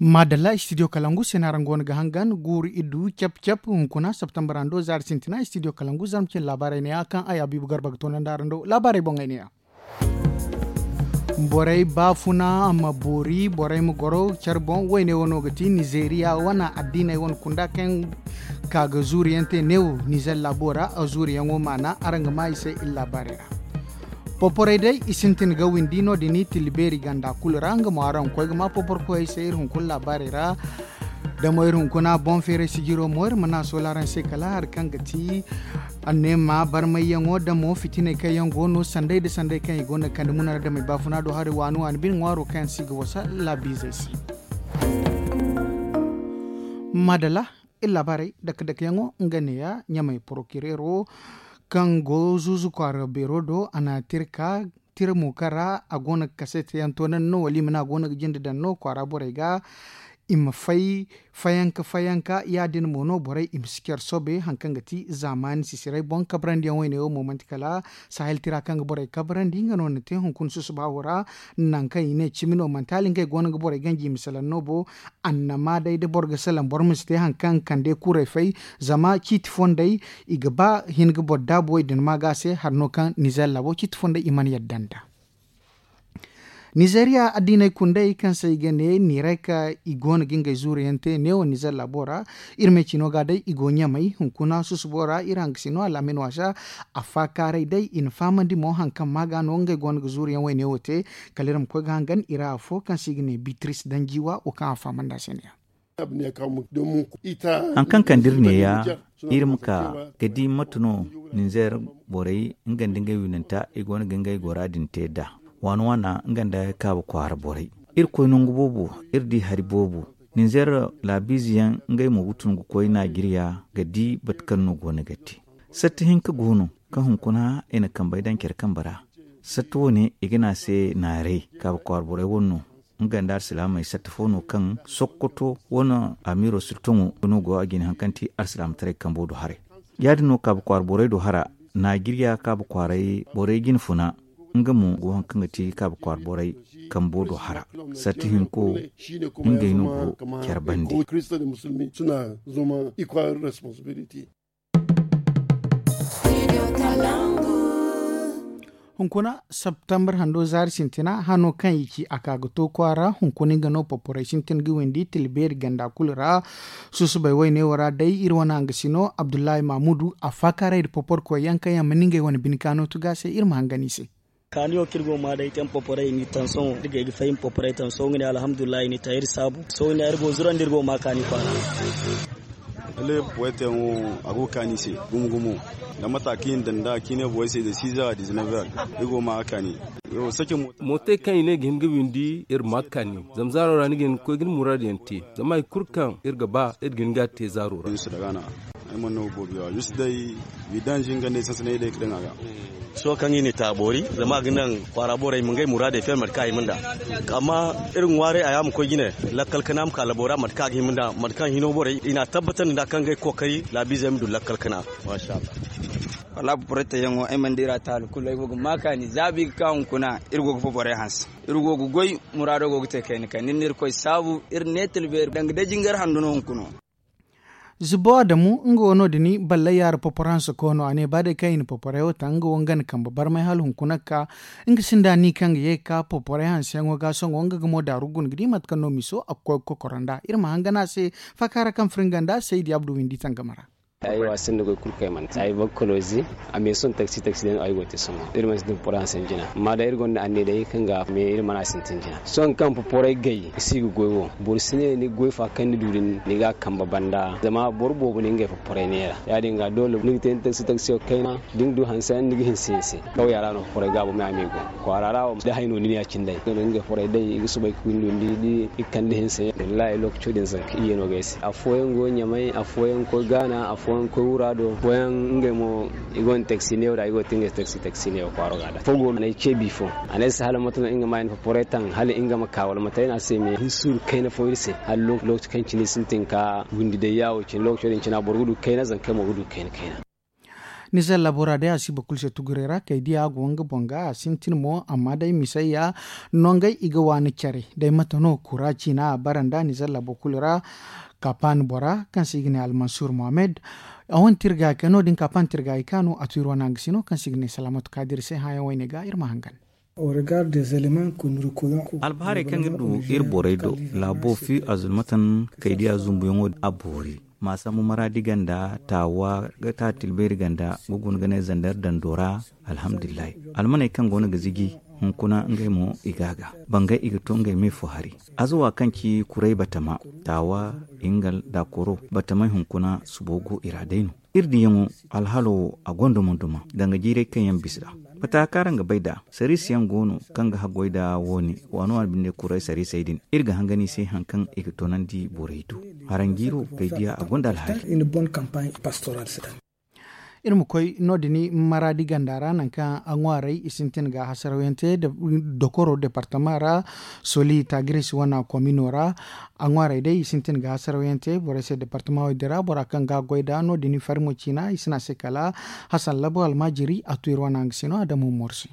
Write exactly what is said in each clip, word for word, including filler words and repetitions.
Maadalla studio kalangu se no araŋ go no ga hangan guuru iddu cap cap hunkuna septembre hando zaari sintina studio kalangu zarma cine laabaarey neeya kaŋ ay habiibu garba ga toonandi araŋ do laabaarey boŋey neeya. Borey baafuna ma boori borey ma goro care boŋ woyne wo no ga ti nizeeriya wane addiiney wane kunda kaŋ ka ga zuuriyaŋ te neewo nizer laabo ra. Zuuriyaŋo maana araŋ ga maa i se iri laabaarey ra. Poporey day i sintin ga windi no- din i tilli beeri ganda kulu ra nga mo araŋ ga koy ga maa poporkoyey se iri hunkuna laabaarey ra. Da mo iri hunkuna boŋ feeray sijiro mo iri mana soola araŋ se kala hari kaŋ ga ti anneema barmayyaŋo da mo fitiney kaŋ yaŋ go no sanday nda sanday kaŋ i go no ga kande muna ra damey baafuna do hari waani waani bine ŋwaaro kaŋ yaŋ se i ga wasa laabiizey se. Maadala iri laabaarey dake dakeyaŋo nga neeya ɲamey porokireero kaŋ go zuuzu kwaara beero do a na tira ka tira mo kaŋ ra a go no ga kaseetiyaŋ toonandi no wala i ma ne a go no ga jinde daŋ no kwaara borey ga i ma fay fayanka fayanka ya- din mo no borey i ma si care soobay hari kaŋ ga ti zaamaani sisiray boŋ kabrandi yaŋ woyne wo mo manti kala sahel tira kaŋ ga borey kabrandi nga no na te hunkuna susuba wo ra. Nangu kaŋ i ne cimi no manti hala ngey go no ga borey ganji i ma salaŋ no bo. Annama day da boro ga salaŋ boro ma si te hari kaŋ ga kande kuurey fay zama ciiti fondey i ga ba hin ga boro daabu wo i din ma ga se hari no kaŋ nizer laabo ciiti fondey i mana yadda nd'a. Nizeeriya addiiney kundey kaŋ se i ga ne niirayka i go no ga ngey zuuriyaŋ te neewo nizer laabo ra. Iri me cino ga day i go ɲamay hunkuna susubo ra iri hangasino alaamin waasa. Afaakaaray day i na fahamandi mo hari kaŋ ma ga no ngey go no ga zuuriyaŋ woyne wo te. Kala iri ma koy ga hangan i ra afo kaŋ se i ga ne bitris danjiwa wo kaŋ a fahamandi a se neeya. Haŋ kaŋ kande iri neeya iri ma ka ga di mate no ninzeer borey nga nda ngey winanta i go no ga ngey gora din te nd'a waana waana nga nda kaabu kwaara borey. Iri koy nangu boobo iri di hari boobo ninzeer laabiize yaŋ ngey mo ga tun ga koy naajiriya ga di mate kaŋ no go no ga te. Satta hinka go no kaŋ hunkuna i na kambey daŋ care kambe ra. Satta wo- ne i ga ne a se naaray kaabu kwaara borey wane no. Nga nda alsilaamey satta fo no kaŋ sokkoto wane amiiro sirtoŋo no go a jine hari kaŋ ti alsilaamataray kambo do haray. Ya- din no kaabu kwaara borey do hara naajiriya kaabu kwaaray borey jine funa. Nga mo go hari kaŋ ga ti kaabu kwaara borey kambo do hara. Satta hinko ngey no go care bande. Hunkuna septembre hando zaari sintina hano kaŋ i ci a ka ga to kwaara hunkuna nga no poporey sintin ga windi tilbeeri ganda kulu ra. Susubay wayne wo ra day iri wane hangasino abdullahi mamudu a faakaaray nda poporkoy yaŋ kaŋ yaŋ mana ngey wane bine kaano tuga se iri ma hangan i se. Kaani wo kaŋ iri go ga maa day kaŋ poporey i n'i taŋ sohõ iri ga ay ga fahim poporey taŋ sohõ nga ne alhamdulillahi i n'i taŋ iri saabu sohõ i ne iri go ga zurandi iri go ga maa kaani kwaara. Lalle poporey teyaŋo a go ga kaani i se gumo gumo. Zama mata kaŋ i na daŋ nd'a kaŋ i ne borey se de six heures à dix-neuf heures iri go ga maa ga kaani. Mootey kaŋ i ne ga hin ga windi iri ma ga kaani zama zaaro ra ni ga hin ga koy ga ni muraadu yaŋ te. Zama hari kulu kaŋ iri ga ba iri ga hin ga a te zaaro ra. Ay mana no boobo yawa juste day vidange nga ne sansanay day ga daŋ a ga. Sohõ kaŋ i na i taaboori zama a ga naŋ kwaara borey ma ngey muraadey feeri mate kaŋ a hima nd'a. Amma iri ga ŋwaaray a ya ma koy jine lakkal kana ma ka labo ra mate kaŋ a ga hima nd'a mate kaŋ hino borey i n'a tabbatandi nd'a kaŋ ngey kookari laabiizey ma du lakkal kana. Masha Allah. Wallaahi poporey teyaŋo ay mana di iri a taali kulu ay go ga maa kaani za bi ga ka hunkuna iri go ga poporey hanse. Iri go ga goy muraado go ga te kayna kayna iri na irkoy saabu iri ne tilbeeri danga day jingar handu no hunkuna. Zubo adamu nga wo no- din ballay yaara poporansa koono a ne ba day kaŋ i na poporay wo taŋ nga wo nga na kambe barmay hala hunkuna ga ka. Nga sinda ni kaŋ ga ye ga ka poporay hanseyaŋo ga sohõ nga ga mo daaru guna ga di mate kaŋ no miso a ga koy ga kokoro nd'a iri ma hangan a se. Faakaara kaŋ firi nga nd'a saydi abdu windi tangama ra. Ay wo a sinda goy kulu kaŋ ay mana te ay bakkalozi. A me sohõ taksi taksi day no ay go ga te sohõ iri mana sintin poporay hanseyaŋ jina amma day iri gonda anniya day kaŋ ga me iri mana sintin jina sohõ kaŋ poporay gay ga si ga goy wo. Boro si ne ni ga goy fa kaŋ ni du din ni ga a kambe banda zama boro boobo no ngey poporay neera. Ya- din ga doole ni ga te ni taksi taksiyo kayna da ni ga du hanse yaŋ ni ga hinse hinse. Kawya ra no poporay gaabo me a me go kwaara ra wo da hay no ni ne ya- cine day nga no ngey poporay day i ga soobay ga windundi da i ga kande hinse. Wallaahi lookaco din zanka iyye no ga ay se afooyaŋ go ɲamay afooyaŋ ga koy gaana afooyaŋ ga koy wuraado afooyaŋ ngey mo i gonda taksi neewo da i go ga te ngey se taksi taksi neewo kwaaro ga da afo go no ay ce bi fo. A ne ay se hala mate no nga ma ay na poporay taŋ hala nga ma ka wala mate ay ne a se me hin suuru kayna fo iri se hala lookaci kaŋ cine sintin ka windi day yaawo cine lookaco din cina boro ga du kayna zankey mo ga du kayna kayna. Nizer labora day a si boro kulu se tugurey ra kay diya go nga boŋ ga a sintin mo amma day misayya nongey i ga waani care day mate no kura ciina a bara nda nizer labo kulu ra. Kapan bora kaŋ se i ga ne almansur mohammed. A wane tirga kay no- din kapan tirga i kaanu a tu iri wane hanga sino kaŋ se i ga ne salamatu kaadir se hããyaŋ wayne ga iri ma hangan. Albaharey kaŋ ga du iri borey do laabo fi a zulmatan kay diya zumbuyaŋo a boori ma sambu maraadi ganda taawa ga ta tilbayri ganda ga guna ga ne zandar dando ra. Alhamdulillahi almaney kaŋ go no ga ziji hunkuna ngey mo i ga a ga bangay i ga to ngey me fo hari. Azawa kaŋ ci kuray batama taawa ingal da koro batamey hunkuna subo go i ra day no. Iri diyaŋo alhalo wo a gonda mo duma danga jiiray kaŋ yaŋ bisa ra. Fatta kaŋ araŋ ga bay nd'a sariisi yaŋ go no kaŋ ga haggoy nd'a wo- ne waano waani binde kuray sariisey din iri ga hangan i se hari kaŋ i ga toonandi borey do. Haranjiiro kay diya a gonda alhaali. Iri ma koy no- din maraadi ganda ra nangu kaŋ a ŋwaarey i sintin ga hasaraw yaŋ te dokoro departama ra soli taagiris wane komino ra. A ŋwaarey day i sintin ga hasaraw yaŋ te borey se departama wo- din ra bora kaŋ ga a goy nd'a no- din farimo ciina i si ne a se kala hasan labo almaajiri a tu iri wane hanga sino a damu morsi.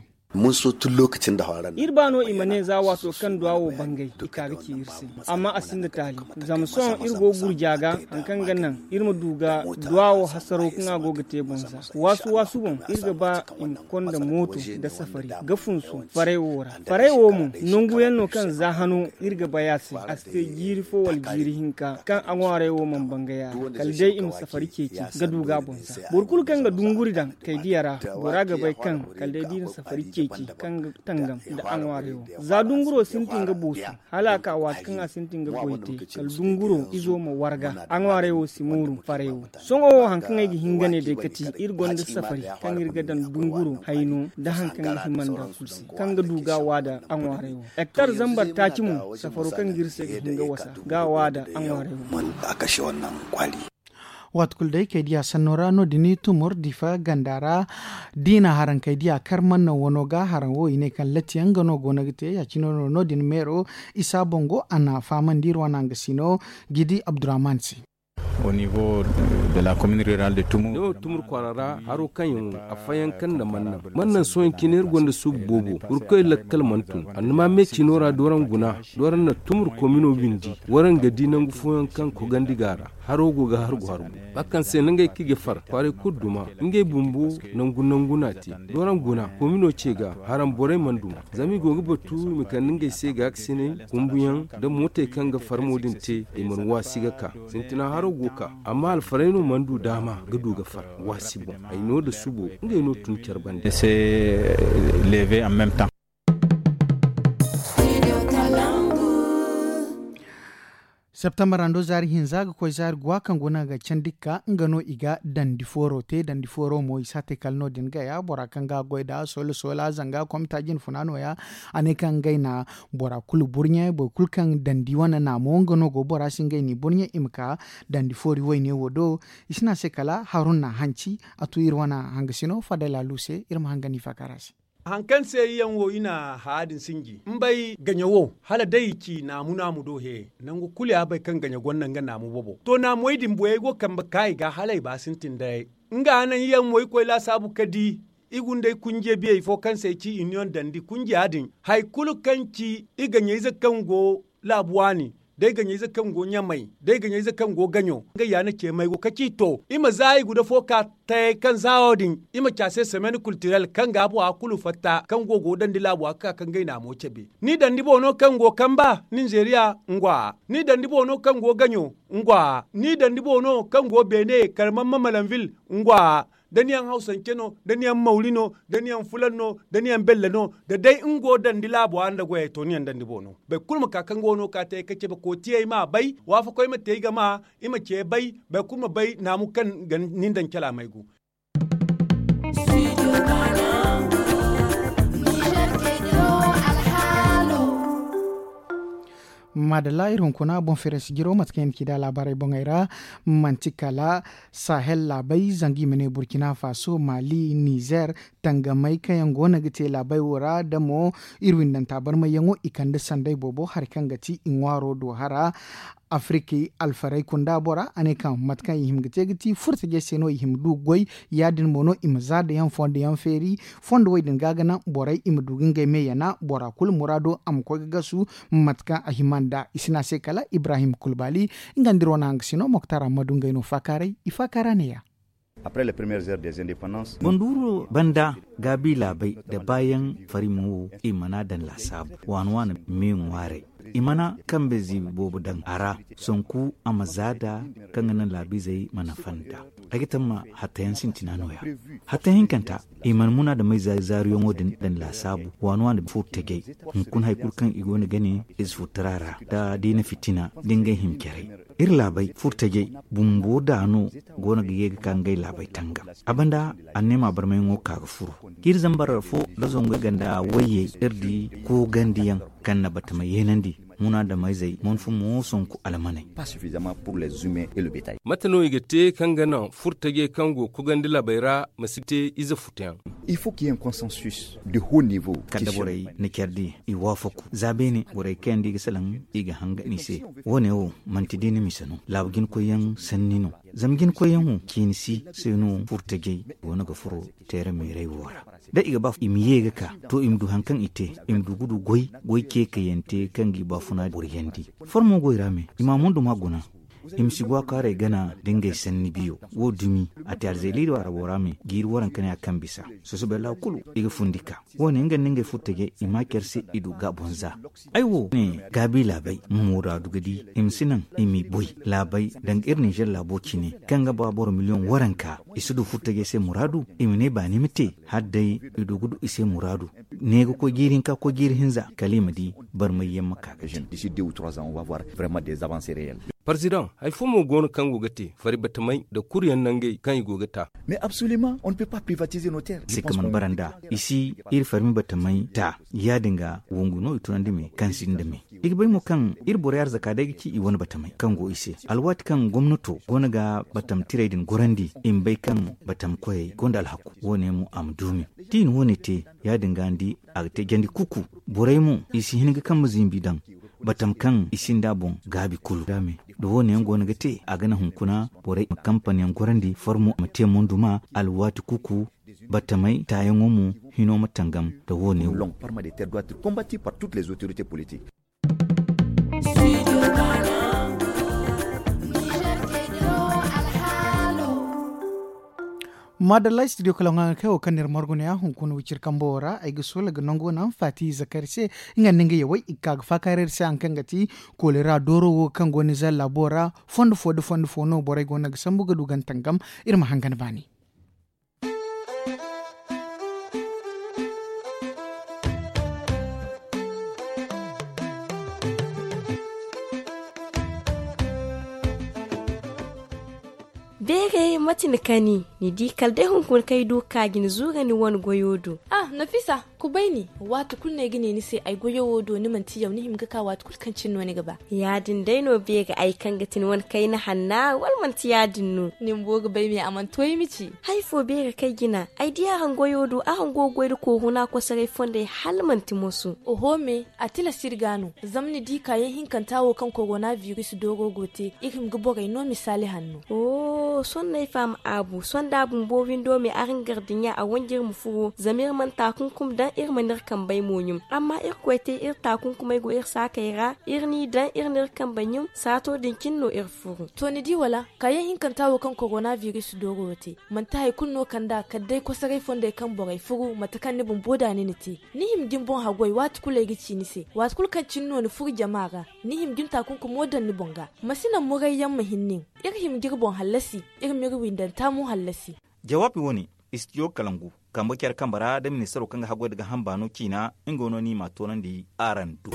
Iri ba no i ma ne za waato kaŋ duwa wo bangay i ka ga ci iri se. Amma a sinda taali zama sohõ iri go gurja ga hari kaŋ ga naŋ iri ma du ga duwa wo hasaro kaŋ a go ga te boŋ za waasu waasu boŋ iri ga ba i ma konda mooto nda safari ga funsu faray wo ra. Faray wo mo nangu yaŋ no kaŋ za hano iri ga bay a se a si te jiiri fo wala jiiri hinka kaŋ a ŋwaaray wo mana bangay a ra kala day i ma safari ceeci ga du ga a boŋ za boro kulu kaŋ ga dunguri daŋ kay diya ra bora ga bay kaŋ kala day da i na safari ceeci kaŋ ga tangam nda a ŋwaaray wo. Za dunguro sintin ga boosu hala a ka waati kaŋ a sintin ga goy te kala dunguro izo ma warga a ŋwaaray wo si mooru faray wo. Sohõ wo hari kaŋ ay ga hin ga ne day kati iri gonda safari kaŋ iri ga daŋ dunguro hayno nda hari kaŋ ga hima nda kulu se kaŋ ga du ga a waada a ŋwaaray wo. Hektar zambar taaci mo safaro kaŋ ga iri se ga hin ga wasa ga a waada a ŋwaaray wo. Waati kulu day kay diya sanno ra no- din tumur difa ganda ra. Diina haraŋ kay diya kar manno wano ga haraŋ wo i ne kaŋ latti yaŋ nga no go no ga te ya- cine no no- din meero isa boŋ go a na fahamandi iri wane hanga sino gidi abdurrahman se. Au niveau de la commune rurale de tumur. Tumur kwaara ra haro kaŋ yaŋ wo a fayanka nda mannan mannan sohõ cine iri gonda suubu boobo burkoy lakkal mana tun annuma me cino ra dooraŋ guna dooraŋ na tumur komino windi waraŋ ga di nangu fooyaŋ kaŋ kogandi ga a ra. Haro go ga har go har bo ba kaŋ se nangey kaŋ i ga far kwaaray kulu duma ngey bumbo nangu nangu no a te. Dooraŋ guna komino ce ga haraŋ borey mana duma zama i go ga batu i ma kande ngey se gaakasinay kumbuyaŋ nda mootey kaŋ ga far mo din te i mana waasi ga ka sintina haro go ka amma alfaray no mana du daama ga du ga far waasi boŋ ay no nda subo ngey no tun care bande. Septembar hando zaari hinza ga koy zaari guwa kaŋ guna ga candi ga ka nga no i ga dandi fooro te dandi fooro mo i si a te kala no- din gaya bora kaŋ ga a goy nd'a soola soola zanga komita jinfuna nooya. A ne kaŋ ngey na bora kulu burɲe boro kulu kaŋ dandi wane naamo nga no go bora se ngey n'i burɲe i ma ka dandi foori wayne wo do. I si ne a se kala haruna hanci a tu iri wane hangasino fadala lu se iri ma hanga n'i faakara se. Hari kaŋ se i yaŋ wo i na haya din sinji mbay gaɲa wo hala day i ci naamu naamu do he nangu kulu ya bay kaŋ gaɲa gonda nga naamu bobo to naamey din boyey go kambe ka i ga hala i ba sintin day. Nga naŋ i yaŋ mo i koy laasaabu ka di i gundey kunjiyey biyey fo kaŋ se i ci iniyoŋ dandi kunjiya din hari kulu kaŋ ci i gaɲayze kaŋ go laabu waani day gaɲayze kaŋ go ɲamay day gaɲayze kaŋ go gaɲo ngey ya na ce maygo ka ci to i ma za i guda fo ka tayey kaŋ za wo din i ma ci a se semaine kultirel kaŋ ga bora kulu fatta kaŋ go go dandi laabu a ga ka ka ngey naamo cabe. Ni dandi boŋ no kaŋ go kamba ninzeeriya ngwa ni dandi boŋ no kaŋ go gaɲo ngwa ni dandi boŋ no kaŋ go beene karmamma malanvil ngwa da ni yaŋ hawsance no da ni yaŋ mawri no da ni yaŋ fulan no da ni yaŋ bella no da day nga go dandi laabo a nda goyey to ni yaŋ dandi boŋ no. Boro kulu ma ka kaŋ go no ka te ay ka cabe kootiyey ma a bay waafakoy ma te ay ga ma i ma ce bay boro kulu ma bay naamu kaŋ ga ni daŋ calaamey go. Maadalla iri hunkuna boŋ feeray si jiro mate kaŋ i na ci da laabaarey boŋey ra manti kala sahel laabey zanga i ma ne burkina faso mali nizer tangamey kaŋ yaŋ go no ga te laabey wo ra da mo iri windanta barmayyaŋo i kande sanday boobo hari kaŋ ga ti i ŋwaaro do hara. Afiriki alfarey kunda bora a ne kaŋ mate kaŋ i hima ga te ga ti furtajey se no i hima du goy. Ya- din mo no i ma za da yaŋ fondo yaŋ feeri fondo wo- din ga ga naŋ borey i ma du ga ngey me yana bora kulu muraado a ma koy ga gasu. Mate kaŋ a hima nd'a i si ne a se kala ibrahim kulbali. Nga nda iri wane hangasino moktar amma du ngey no faakaaray i faakaara ne- ya. Banduuro banda gaabi laabey nda baayaŋ farimo wo i mana daŋ laasaabu waani waani me ŋwaaray. I mana kambe ziibi boobo daŋ a ra sanku a ma zaada kaŋ ga naŋ laabiizey mana fanda. Ay ga tamma hatta yaŋ sintina no- ya hatta hinkanta i mana muna da may zaariyaŋo din daŋ laasaabu waani waani furtajey. Hunkuna hari kulu kaŋ i go no ga ne ize furtara ra da diina fitina da ngey hima care. Iri laabey furtajey bumbo da no go no ga ye ga ka ngey laabey tangam. A banda anneema barmayaŋo ka ga furo ga iri zambar fo da zangu ay ganda wayye iri di koogandiyaŋ kaŋ na batamey yeenandi munaadamayzey mana fun mo sonku almaney. Mate no i ga te kaŋ ga naŋ furtajey kaŋ go ga kogandi laabey ra ma si te ize futuyaŋ? Il faut qu'il y ait un consensus de haut niveau. Kala da borey na care di i waafaku za beene borey kayandi i ga salaŋ i ga hanga ni se. Wo- ne wo manti diina mise no laabu jinkoyyaŋ sanni no. Zama jinkoyyaŋ wo ciini si se no furtajey go no ga furo teera meerey wo ra. Da i ga ba i ma ye ga ka to i ma du hari kaŋ i te i ma du ga du goy goy ceekayante kaŋ ga i baafuna boryandi. Farmo goy ra me i ma a mondo ma guna. I ma si go a kaaray gana da ngey sanni biyo wo dumi a te alzeeli do arabo ra me jiiri waranka ne a kaŋ bisa sosobay laabu kulu i ga fundi ka. Wo- ne nga nda ngey furtajey i ma care se i du ga boŋ za. Ay wo ne gaabi laabey ma muraadu ga di i ma si naŋ i m'i boy laabey danga iri ninzeer laabo cine kaŋ ga ba boro miliyoŋ waranka i si du furtajey se muraadu. I ma ne baani ma te hala day i du ga du i se muraadu. Ne ga koy jiiri hinka koy jiiri hinza kala i ma di barmayyaŋ ma ka ga te. Parzidaŋ hari fo mo go no kaŋ go ga te fari batamey nda kuruyaŋ nangey kaŋ i go ga ta. Mais absolument on ne peut pas privatiser nos terres. Se ka mana bara nd'a i si iri farmi batamey ta ya- din ga wongu no i tunandi me kaŋ sinda me. I ga bay mo kaŋ iri borey arzaka day ga ci i wane batamey kaŋ go i se alwaati kaŋ gomnato go no ga batam tirey din gorandi i ma bay kaŋ batam koyey gonda alhaku. Wo- ne mo a ma du me da i na wo- ne te ya- din ga ni di a ga te jandi kuku. Borey mo i si hin ga kambe zimbi daŋ batam kaŋ i sinda boŋ gaabi kulu da me da wo- ne yaŋ go no ga te a ga naŋ hunkuna borey ma kampaniyaŋ gorandi farmo ma te monduma alwaati kuku. Batamey taayaŋo mo hino ma tangam nda wo- ne wo. Maadalla studio kala ŋwa ga kay wo kaŋ na iri margu ne ya hunkuna wiciri kambo wo ra ay ga soola ga nango naŋ faati zakari se. Nga nda nga yawey i ga ka ga faakaaray iri se hari kaŋ ga ti koolera dooro wo kaŋ go no ize laabo ra. Fondo fo nda fondo fo no borey go no ga sambu ga du gantangam. Iri ma hangan baani. Beeray mate ni kani ni di kala day hunkuna kaŋ ay du ga ka ga ni zuura ni wane goyo do. Ah nafisa, kubay ni. Waati kulu no ay ga ne ni se ay goyo wo do ni manti yaw ni hima ga ka waati kulu kaŋ cine no ni ga ba. Ya- din day no beeri ay kaŋ ga ti ni wane kayna hanna wala manti ya- din no? Ni bumbo ga bay me a mana to ay ma ci. Hari fo beeri kaŋ ay jina ay di araŋ goyo do araŋ go ga goy nda kooruna kosoray fondey hala manti moso. Oho me, a tilas iri ga no zama ni di kaayaŋ hinkanta wo kaŋ korona biris dooro go te iri hima ga borey no misaali hanno. Sohõ no ay faham aabu sohõ da a bumbo windo me araŋ gardiɲa a wanji iri ma furo zama iri mana taakunkum daŋ iri mana iri kambey mo ɲum. Amma irkoy te iri taakunkumey go iri saakey ra iri n'i daŋ iri n'iri kambey ɲum saato din cine no iri furu. To ni di wala kaayaŋ hinkanta wo kaŋ korona biris dooro te manti hari kulu no kand'a kala day kosoray fondey kaŋ borey furu mate kaŋ ni bumbo da ni na te. Ni hima ga ni boŋ haggoy waati kulu ay ga ci ni se waati kulu kaŋ cine no ni furu jama ra. Ni hima ga ni taakunkumo daŋ ni boŋ ga ma si naŋ murayyaŋ ma hin nin. Iri hima ga iri boŋ hallasi iri ma iri windanta mo hallasi. Jawaabi wo-ne istijo kalangu kambe care kambe ra da ministaro kaŋ ga haggoy nda gaaham baano ciina nga no no i m'a toonandi araŋ do.